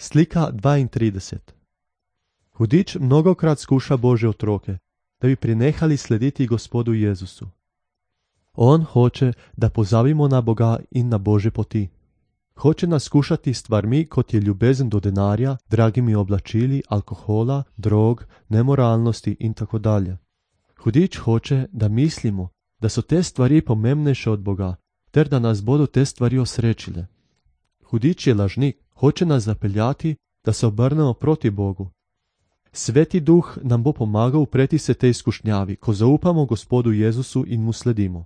Slika 32. Hudič mnogokrat skuša Božje otroke, da bi prenehali slediti Gospodu Jezusu. On hoče, da pozabimo na Boga in na Božje poti. Hoče nas skušati s stvarmi, kot je ljubezen do denarja, dragimi oblačili, alkohola, drog, nemoralnosti in tako dalje. Hudič hoče, da mislimo, da so te stvari pomembnejše od Boga, ter da nas bodo te stvari osrečile. Hudič je lažnik, hoče nas zapeljati, da se obrnemo proti Bogu. Sveti Duh nam bo pomagal upreti se tej izkušnjavi, ko zaupamo Gospodu Jezusu in mu sledimo.